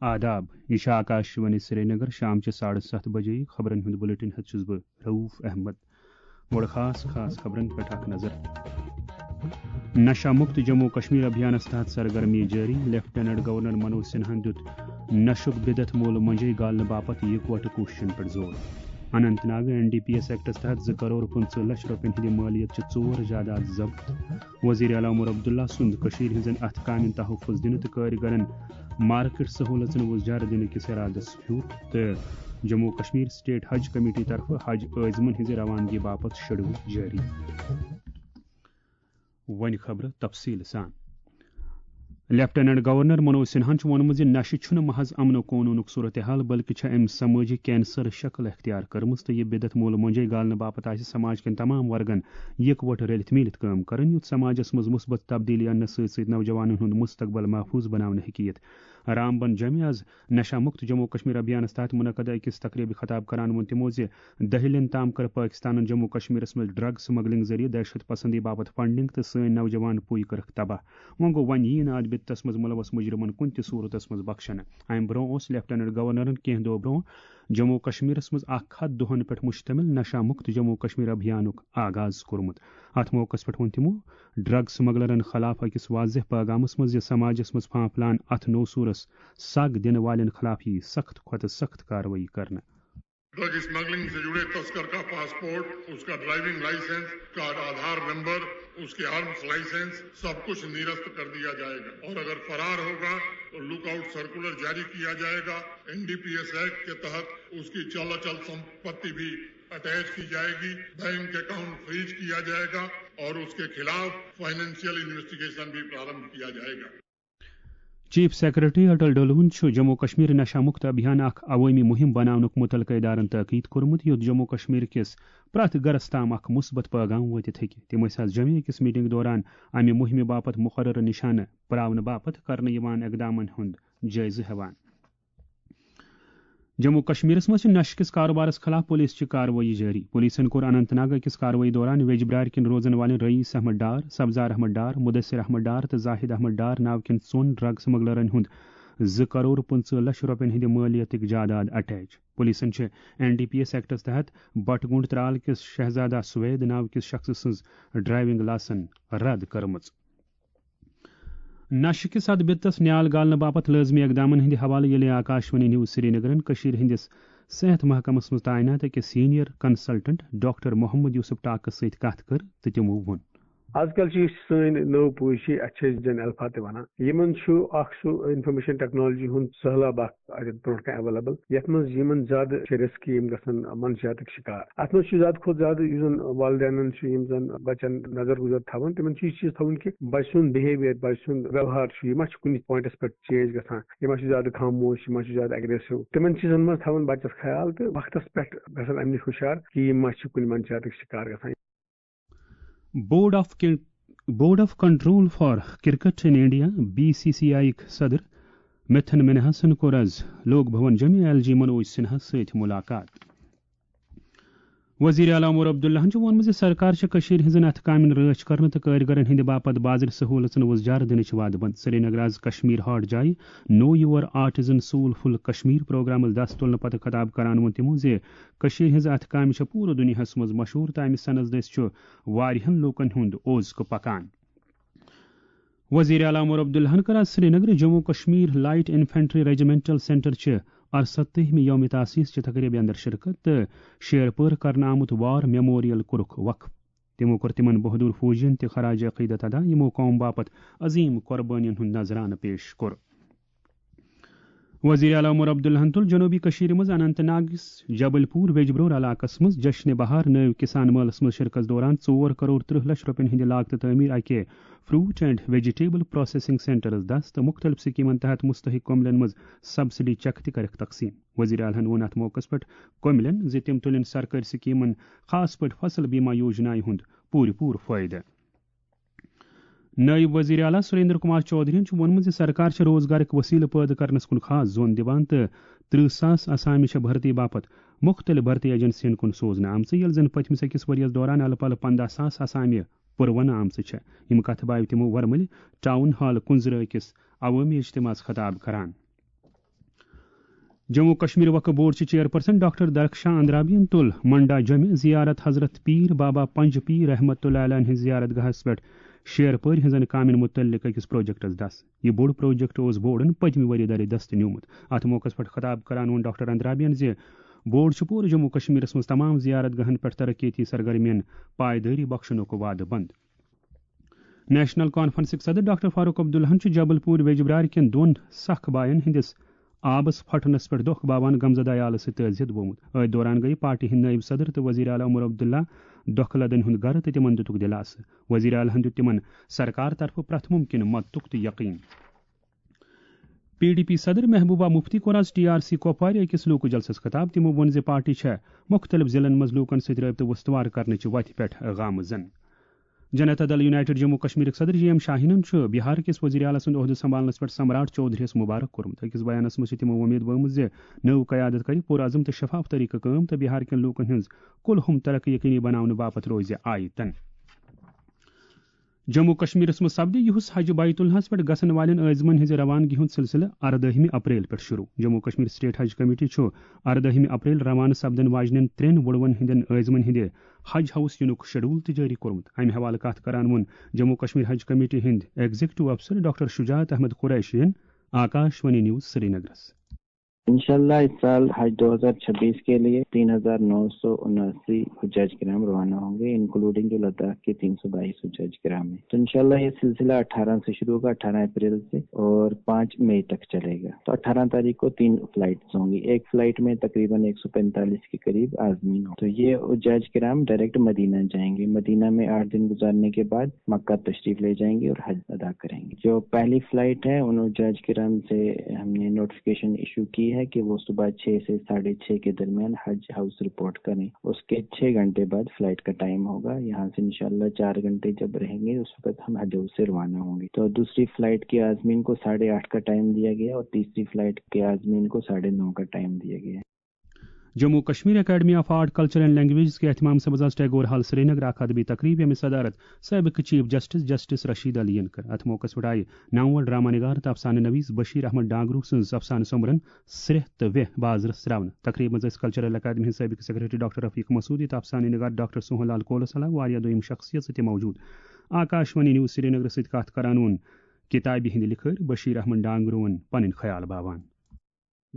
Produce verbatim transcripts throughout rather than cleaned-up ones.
آداب، یہِ چھِ آکاشوانی سرینگر۔ شام چہِ ساڑٕ ستھ بجے خبرن ہُنٛد بُلیٹن ہٮ۪تھ چھُس بہٕ رؤف احمد۔ گۄڈٕ خاص خاص خبرن پٮ۪ٹھ اکھ نظر۔ نشہ مکت جموں کشمیر ابھیانس تحت سرگرمی جٲری، لیفٹیننٹ گورنر منوج سنہاہن دیُت نشُک بدعت مول مۄنجے گالنہٕ باپتھ یکوٹہٕ کوٗششن پٮ۪ٹھ زور۔ Anantnag N D P S ایکٹس تحت زٕ کرور پٕنٛژٕہ لچھ رۄپین ہٕنٛدِ مٲلیت چہِ ژور جائیداد ضبط۔ وزیر اعلیٰ عمر عبداللہ سُنٛد کٔشیٖرِ ہٕنٛزن اَتھٕ کامٮ۪ن تحفظ دِنہٕ تہٕ کٲرۍ گرن مارکیٹ سہوٗلژن وُزجار دِنہٕ کِس اِرادس پھیُر تہٕ جموں کشمیر سٹیٹ حج کمیٹی طرفہٕ حج عٲزمن ہٕنٛزِ روانگی باپتھ شیڈول جٲری۔ وۄنۍ خبرٕ تفصیٖل سان۔ لیفٹیننٹ گورنر منوج سنہاہن چھُ ووٚنمُت زِ نشہٕ چھُنہٕ محض امن و قونوٗنُک صورتحال، بلکہِ چھےٚ أمۍ سمٲجی کینسر شکل اختیار کٔرمٕژ تہٕ یہِ بدعت مول مۄنجے گالنہٕ باپتھ آسہِ سماج کٮ۪ن تمام ورگن یکوٹہٕ رٔلِتھ میٖلِتھ کٲم کرٕنۍ، یُتھ سماجس منٛز مثبت تبدیلی اننہٕ سۭتۍ سۭتۍ نوجوانن ہُنٛد مستقبل محفوظ بناونہٕ ہیٚکہِ یِتھ۔ رام بن جمعہ از نشہ مکت جموں کشمیر ابھیانس تحت منعقدہ أکِس تقریبہِ خطاب کران ووٚن تِمو زِ دہلین تام کٔر پٲکستانن جموں کشمیرس منٛز ڈرگ سمگلنگ ذٔریعہٕ دہشت پسندی باپتھ فنڈنگ تہٕ سٲنۍ نوجوان پُے کٔرٕکھ تباہ۔ وۄنۍ گوٚو، وۄنۍ یِیہِ نہٕ اتھ بدعتس منٛز ملوث مجرمن کُنہِ تہِ صورتس منٛز بخشنہٕ۔ امہِ برونٛہہ اوس لیفٹیننٹ گورنرن کینٛہہ دۄہ برونٛہہ جموں کشمیرس منٛز اکھ ہتھ دۄہن پٮ۪ٹھ مشتمل نشہ مکت جموں کشمیر ابھیانُک آغاز کوٚرمُت۔ اتھ موقعس پٮ۪ٹھ ووٚن تِمو ڈرگ سمگلرن خلاف أکِس واضح پیغامس منٛز زِ سماجس منٛز پھانپھلان اتھ نوسورس سگ دِنہٕ والٮ۪ن خلاف یِیہِ سخت کھۄتہٕ سخت کاروٲیی کرنہٕ۔ ڈرگ اسمگلنگ سے جڑے تسکر کا پاسپورٹ، اس کا ڈرائیونگ لائسنس، اس کا آدھار نمبر، اس کے آرمز لائسنس، سب کچھ نرست کر دیا جائے گا اور اگر فرار ہوگا تو لک آؤٹ سرکولر جاری کیا جائے گا۔ N D P S act کے تحت اس کی چل اچل سمپتی بھی اٹیچ کی جائے گی، بینک اکاؤنٹ فریز کیا جائے گا اور اس کے خلاف فائنینشیل انویسٹیگیشن بھی پرارمبھ کیا جائے گا۔ چیف سیکرٹری اٹل ڈولون چھُ جموں کشمیر نشہ مکت ابھیان اکھ عوٲمی مہم بناونُک متعلقہٕ ادارن تاکید کوٚرمُت، یُتھ جموں کشمیر کِس پرٛٮ۪تھ گرس تام اکھ مثبت پیغام وٲتِتھ ہیٚکہِ۔ تِم ٲسۍ از جمعہ أکِس میٹنگ دوران امہِ مہمہِ باپتھ مقررٕ نشانہٕ پراونہٕ باپتھ کرنہٕ یِوان اقدامن ہُنٛد جٲیزٕ ہٮ۪وان۔ جموں کشمیرس منٛز چھِ نشہٕ کِس کاروبارس خلاف پولیس چہِ کاروٲیی جٲری۔ پولیسن کوٚر اننت ناگ أکِس کاروٲیی دوران ویجبرار کِنۍ روزن والٮ۪ن رئیس احمد ڈار، سبزار احمد ڈار، مدثر احمد ڈار تہٕ زاہد احمد ڈار ناو کٮ۪ن ژۄن ڈرگ سمگلرن ہُنٛد زٕ کرور پٕنٛژٕہ لچھ رۄپین ہٕنٛدِ مٲلیتٕکۍ جاداد اٹیچ۔ پولیسن چھِ این ڈی پی ایس ایکٹس تحت بٹگونڈ ترال کِس شہزادہ سوید ناو کِس شخصہٕ سٕنٛز ڈرائیونگ لائسنس رد کٔرمٕژ۔ نشہٕ کِس اتھ بدعتس نیال گالنہٕ باپتھ لٲزمی اقدامن ہٕنٛدِ حوالہٕ ییٚلہِ آکاشوانی نیوز سرینگرن کٔشیٖرِ ہٕنٛدِس صحت محکمس منٛز تعینات أکِس senior consultant doctor Mohammad Yusuf ٹاکس سۭتۍ کتھ کٔر تہٕ تِمو ووٚن۔ آز کل چھِ یُس سٲنۍ نٔو پُے چھِ، اَتھ چھِ أسۍ جن الفا تہِ وَنان۔ یِمن چھُ اکھ سُہ انفارمیشن ٹیکنالوجی ہُنٛد سہلاب اکھ اَتٮ۪تھ برونٛٹھ کَنہِ ایویلیبل، یَتھ منٛز یِمن زیادٕ چھِ رِسکی یِم گژھن منشیاتٕکۍ شِکار۔ اَتھ منٛز چھُ زیادٕ کھۄتہٕ زیادٕ یُس زن والدینن چھُ، یِم زن بچن نظر گُزر تھاوان، تِمن چھُ یہِ چیٖز تھاوُن کہِ بچہٕ سُنٛد بِہیویئر، بچہٕ سُنٛد ویوہار چھُ، یہِ ما چھُ کُنہِ پوینٹس پٮ۪ٹھ چینج گژھان، یہِ ما چھُ زیادٕ خاموش، یہِ ما چھُ زیادٕ اگریسو۔ تِمن چیٖزن منٛز تھاوُن بچس خیال تہٕ وقتس پٮ۪ٹھ گژھن اَمہِ نِش ہُشار کہِ یِم ما چھِ کُنہِ منشیاتٕکۍ شِکار گژھان۔ Board of board of control for cricket in India, B C C I یٕکۍ صدر مِتھن منہاسن کوٚر از لوک بھون جمعہ ایل جی منوج سنہاہس سۭتۍ ملاقات۔ وزیر اعلیٰ عمر عبداللہن چھُ ووٚنمُت زِ سرکار چھےٚ کٔشیٖرِ ہٕنٛزن اَتھٕ کامٮ۪ن رٲچھ کرنہٕ تہٕ کٲرۍ گرن ہٕنٛدِ باپتھ بازرٕ سہوٗلژن وُزجار دِنٕچ وعدٕ بنٛد۔ سرینگر از کشمیر ہاٹ جایہِ know your آرٹزن sole full Kashmir programmes دس تُلنہٕ پتہٕ خطاب کران ووٚن تِمو زِ کٔشیٖرِ ہٕنٛز اَتھٕ کامہِ چھےٚ پوٗرٕ دُنیاہس منٛز مشہوٗر تہٕ اَمہِ سنس دٔسۍ چھُ واریاہن لوٗکن ہُنٛد اوز کہٕ پکان۔ وزیر اعلیٰ عمر عبداللہن کٔر آز سرینگرٕ Jammu Kashmir light infantry regimental centre چہِ ارستٲہمہِ یوم تاسیس چہِ تقریبہِ اندر شرکت تہٕ شیر پٲر کرنہٕ آمُت وار میموریل کوٚرُکھ وقف۔ تِمو کوٚر تِمن بہادر فوجین تہِ خراج عقیدت ادا، یِمو قوم باپتھ عظیم قربٲنین ہُنٛد نذرانہٕ پیش کوٚر۔ وزیر اعلیٰ عمر عبداللہن تُل جنوبی کٔشیٖرِ منٛز اننت ناگس جبل پور ویجبرور علاقس منٛز جشن بہار نٲوۍ کسان مٲلس منٛز شرکتس دوران ژور کرور ترٕہ لچھ رۄپین ہٕنٛدِ لاگتہٕ تعمیٖر اکہِ فروٹ اینڈ ویجیٹیبل پروسیسنگ سینٹرس دس تہٕ مُختٔلِف سکیمن تحت مستحق کملن منٛز سبسڈی چیک تہِ کٔرٕکھ تقسیٖم۔ وزیر اعلیٰ ہن ووٚن اتھ موقعس پٮ۪ٹھ کملن زِ تِم تُلن سرکٲرۍ سکیمن، خاص پٲٹھۍ فصل بیمہ یوجنایہِ ہُنٛد پوٗرٕ پوٗرٕ فٲیدٕ۔ نٲیِب وزیر اعلیٰ سریندر کمار چودھرین چھُ ووٚنمُت زِ سرکار چھےٚ روزگارٕکۍ وسیلہٕ پٲدٕ کرنس کُن خاص زون دِوان تہٕ ترٕہ ساس آسامہِ چھےٚ بھرتی باپتھ مُختٔلِف بھرتی ایجنسین کُن سوزنہٕ آمژٕ، ییٚلہِ زن پٔتمِس أکِس ؤرۍ یَس دوران الہٕ پلہٕ پنٛداہ ساس آسامہِ پُروَنہٕ آمژٕ چھےٚ۔ یِم کتھٕ بایہِ تِمو ورمُلہِ ٹاؤن ہال کُنزرٕ أکِس عوٲمی اجتماعس خطاب کران۔ جموں کشمیر وقف بورڈ چہِ چیئرپرسن ڈاکٹر درخشاں اندرابیَن تُل منڈا جمعہ زیارت حضرت پیر بابا پنج پیر رحمت اللہ علیہ ہٕنٛز زیارت گاہس پٮ۪ٹھ شیر پٲرۍ ہٕنٛزن کامٮ۪ن مُتعلق أکِس پروجیکٹس دس۔ یہِ بوٚڑ پروجیکٹ اوس بورڈن پٔتمہِ ؤری دَرِ دستہٕ نیومُت۔ اتھ موقعس پٮ۪ٹھ خطاب کران ووٚن ڈاکٹر اندرابیَن زِ بورڈ چھُ پوٗرٕ جموں کشمیرس منٛز تمام زیارت گاہن پٮ۪ٹھ ترقیتی سرگرمین پائیدٲری بخشنُک وعدٕ بنٛد۔ نیشنل کانفرنسٕکۍ صدر ڈاکٹر فاروق عبداللہَن چھُ جبل پوٗر ویجبرارِ کٮ۪ن دۄن سکھ باین ہٕنٛدِس آبس پھٹنس پٮ۪ٹھ دۄکھ باوان غمزدہ عیالس سۭتۍ تعزیت بومُت۔ أتھۍ دوران گٔیہِ پارٹی ہٕنٛدۍ نٲیِب صدر تہٕ وزیر اعلیٰ عمر عبداللہ دۄکھٕ لدن ہُنٛد گرٕ تہٕ تِمن دِتُکھ دِلاسہٕ۔ وزیر اعلیٰ ہَن دیُت تِمن سرکار طرفہٕ پرٛٮ۪تھ مُمکِنہٕ مدتُک تہِ یقین۔ پی ڈی پی صدر محبوبہ مفتی کوٚر آز ٹی آر سی کۄپوارِ أکِس لوٗکہٕ جلسس خطاب۔ تِمو ووٚن زِ پارٹی چھےٚ مُختٔلِف ضلعن منٛز لوٗکن سۭتۍ رٲبطہٕ وُستوار کرنٕچہِ وتہِ پٮ۪ٹھ گامزن۔ جنتا دل یونائیٹڈ جموں کشمیرٕکۍ صدر جی ایم شاہینن چھُ بہار کِس وزیر اعلیٰ سُنٛد عہدٕ سنبھالنس پٮ۪ٹھ سمراٹ چودھریَس مبارک کوٚرمُت۔ أکِس بیانس منٛز چھِ تِمو وۄمید بٲومٕژ زِ نٔو قیادت کرِ پُرعزم تہٕ شفاف طریقہٕ کٲم تہٕ بہار کٮ۪ن لوٗکن ہٕنٛز کُلہُم ترقی یقینی بناونہٕ باپتھ روزِ آیتن۔ جموں کشمیرس منٛز سپدِ یُہُس حج بیت اللہس پٮ۪ٹھ گژھن والٮ۪ن عٲزمن ہٕنٛزِ روانگی ہُنٛد سلسلہٕ اردٲہمہِ اپریل پٮ۪ٹھ شروع۔ جموں کشمیر اسٹیٹ حج کمیٹی چھُ اردٲہمہِ اپریل روانہٕ سپدن واجنٮ۪ن ترٛٮ۪ن وُڑوَن ہٕنٛدٮ۪ن عٲزمن ہٕنٛدِ حج ہاوُس یِنُک شیڈول تہِ جٲری کوٚرمُت۔ امہِ حوالہٕ کتھ کران ووٚن جموں کشمیر حج کمیٹی ہٕنٛدۍ ایگزیکٹو افسر ڈاکٹر شجاعت احمد قریشیَن آکاش وانی نیوز سرینگرس۔ انشاءاللہ اس سال حج دو ہزار چھبیس کے لیے تین ہزار نو سو اناسی حجاج کرام روانہ ہوں گے، انکلوڈنگ جو لداخ کے تین سو بائیس حجاج کرام ہیں۔ تو انشاءاللہ یہ سلسلہ اٹھارہ سے شروع ہوگا، اٹھارہ اپریل سے، اور پانچ مئی تک چلے گا۔ تو اٹھارہ تاریخ کو تین فلائٹس ہوں گی، ایک فلائٹ میں تقریباً ایک سو پینتالیس کے قریب عازمین ہوں۔ تو یہ حجاج کرام ڈائریکٹ مدینہ جائیں گے، مدینہ میں آٹھ دن گزارنے کے بعد مکہ تشریف لے جائیں گے اور حج ادا کریں گے۔ جو پہلی فلائٹ ہے، ان حجاج کرام سے ہم نے نوٹیفکیشن ایشو کی ہے کہ وہ صبح چھ سے ساڑھے چھ کے درمیان حج ہاؤس رپورٹ کریں۔ اس کے چھ گھنٹے بعد فلائٹ کا ٹائم ہوگا۔ یہاں سے انشاءاللہ چار گھنٹے جب رہیں گے، اس وقت ہم حج ہاؤس سے روانہ ہوں گے۔ تو دوسری فلائٹ کے عازمین کو ساڑھے آٹھ کا ٹائم دیا گیا اور تیسری فلائٹ کے عازمین کو ساڑھے نو کا ٹائم دیا گیا ہے۔ Jammu Kashmir academy of art, culture and languages کے اہتمام سے بزاز ٹیگور ہال سرینگر اکھ ادبی تقریب، ییٚمِچ صدارت سابق chief justice justice Rashid Ali ین کٔر۔ اتھ موقعس پٮ۪ٹھ آیہِ نامور ڈرامہ نگار تہٕ افسانہٕ نویس بشیر احمد ڈانگرو سٕنٛز افسانہٕ سومبرن سرٛیٚہہ تہٕ ویٚہہ بازرس ترٛاونہٕ۔ تقریب منٛز ٲسۍ کلچرل اکیڈمی ہٕنٛدۍ سابق سیکرٹری ڈاکٹر رفیق مسعودی تہٕ افسانہٕ نگار ڈاکٹر سوہن لال کولس علاوٕ واریاہ دوٚیِم شخصیژٕ تہِ موجود۔ آکاش وانی نیوز سرینگرس سۭتۍ کتھ کران ووٚن کتابہِ ہٕنٛدۍ لکھٲرۍ بشیر احمد ڈانگروہن پنٕنۍ خیال باوان۔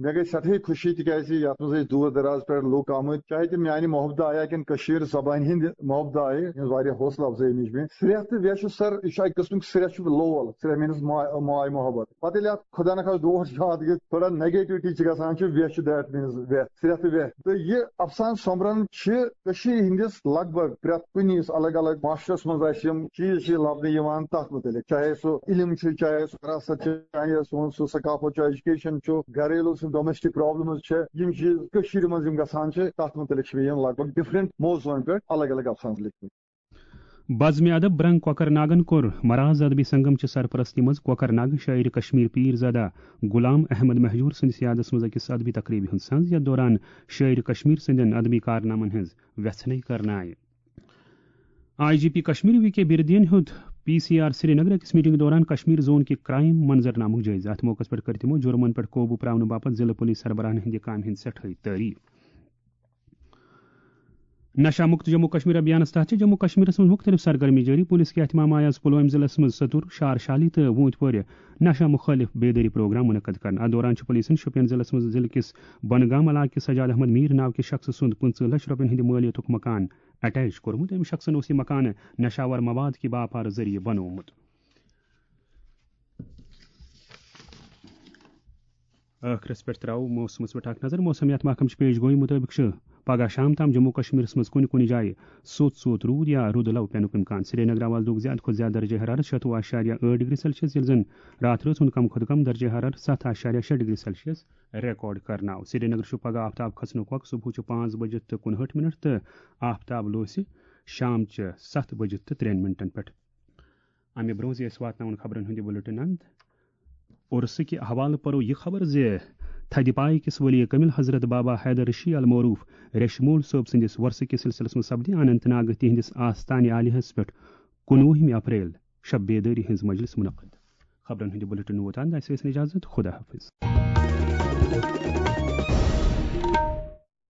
مےٚ گٔے سٮ۪ٹھٕے خوشی، تِکیازِ یتھ منٛز أسۍ دوٗر دراز پٮ۪ٹھ لُکھ آمٕتۍ، چاہے تِم میانہِ محبتہٕ آیا کِنہٕ کٔشیٖر زبانہِ ہِنٛدِ محبتہٕ آیہِ، یِہٕنٛز واریاہ حوصلہٕ افزٲیی مِج مےٚ۔ سرٛیٚہہ تہٕ ویٚہہ چھُ سر، یہِ چھُ اکہِ قٕسمُک سرٛیٚہہ چھُ لول، سرٛیٚہہ میٖنٕز ماے، ماے محبت۔ پتہٕ ییٚلہِ اتھ خۄدا نخواستہٕ ڈوٹھ چھُ اتھ گٔے تھوڑا نیگیٹوٹی چھِ گژھان، چھُ ویٚہہ چھُ، دیٹ میٖنٕز ویٚہہ، سرٛیٚہہ تہٕ ویٚہہ۔ تہٕ یہِ افسانہٕ سۄمبرن چھِ کٔشیٖرِ ہٕنٛدِس لگ بگ پرٛٮ۪تھ کُنہِ یُس الگ الگ معاشرس منٛز اَسہِ یِم چیٖز چھِ لبنہٕ یِوان، تَتھ مُتعلِق، چاہے سُہ علم چھُ، چاہے سُہ وراثت چھُ، چاہے سون سُہ ثقافت چھُ، ایجوکیشن چھُ، گھریلو سُہ ڈومیسٹک پرابلمز چھِ، یِم چیٖز کٔشیٖرِ منٛز یِم گژھان چھِ، تَتھ مُتعلِق چھِ مےٚ یِم لگ بگ ڈفرنٹ موضوعن پٮ۪ٹھ الگ الگ افسانہٕ لیکھمٕتۍ۔ بزمِ ادب برنگ کۄکر ناگن کوٚر مراز ادبی سنگم چہِ سرپرستی منٛز کۄکر ناگہٕ شٲعرِ کشمیر پیٖر زادہ غلام احمد مہجور سٕنٛدِس یادس منٛز أکِس ادبی تقریبہِ ہُنٛد سنز، یتھ دوران شٲعرِ کشمیر سٕنٛدٮ۪ن ادبی کارنامن ہٕنٛز وٮ۪ژھنے کرنہٕ آیہِ۔ I G P Kashmir V K بردین ہیوٚت پی سی آر سرینگر أکِس میٹنگ دوران کشمیر زون کہِ کرائم منظرنامُک جٲیزٕ۔ اتھ موقعس پٮ۪ٹھ کٔر تِمو جرمن پٮ۪ٹھ قوبوٗ پراونہٕ باپتھ ضلعہٕ پولیس سربراہن ہٕنٛدِ کامہِ ہٕنٛز سٮ۪ٹھٲے تعریف۔ نشہ مکت جموں کشمیر ابھیانس تحت چھِ جموں کشمیرس منٛز مُختٔلِف سرگرمی جٲری۔ پُلیٖس کہِ اہتمام آیہِ آز پُلوٲمۍ ضلعس منٛز ستوٗر، شار شالی تہٕ ووٗنتۍ پورِ نشہ مُخٲلِف بیدٲری پروگرام منعقد کرنہٕ۔ اتھ دوران چھُ پُلیٖسن شوپین ضلعس منٛز ضلعہٕ کِس بنگام علاقہٕ کِس سجاد احمد میٖر ناو کِس شخصہٕ سُنٛد پٕنٛژٕہ لَچھ رۄپین ہٕنٛدِ مٲلیتُک مکان اٹیچ کوٚرمُت۔ أمۍ شخصن اوس یہِ مکان نشاور مواد کہِ باپار ذٔریعہٕ بنوومُت۔ ٲخرس پٮ۪ٹھ ترٛاوو موسمس پٮ۪ٹھ اکھ نظر۔ موسمیات محکمہٕ چہِ پیش گویی مُطٲبِق چھُ پگہہ شام تام جموں کشمیرس منٛز کُنہِ کُنہِ جایہِ سوٚت سوٚت روٗد یا روٗدٕ لو پینُک امکان۔ سرینگر آو آز دۄہُک زیادٕ کھۄتہٕ زیادٕ درجہ حرارت شتوُہ اعشاریہ ٲٹھ ڈگری سیلسیس، ییٚلہِ زن راتھ رٲژ ہُنٛد کم کھۄتہٕ کم درجہ حرارت ستھ اعشاریہ شےٚ ڈگری سیلسیس ریکارڈ کرنہٕ آو۔ سرینگر چھُ پگہہ آفتاب کھسنُک وقت صبحٕچہِ پانٛژھ بجہِ تہٕ کُنہٲٹھ منٹ تہٕ آفتاب لوسہِ شامچہِ ستھ بجہِ تہٕ ترٛٮ۪ن منٹن پٮ۪ٹھ۔ امہِ برونٛہہ زِ أسۍ واتناوون خبرن ہُنٛد یہِ بُلٹن اند، عرسہٕ کہِ حوالہٕ پرو یہِ خبر زِ تھدِ پایہِ کِس ولی کٲمل حضرت بابا حیدر رشی المعروف ریشمول صٲب سٕنٛدِس وۄرثہٕ کِس سلسلس منٛز سپدِ اننت ناگ تِہنٛدِس آستانہِ عالیہس پٮ۪ٹھ کُنوُہمہِ اپریل شب بیدٲری ہٕنٛز مجلس منعقد۔ خبرن ہُنٛد یہِ بُلٹن ووت اند، اسہِ ٲسۍ اجازت، خدا حافظ۔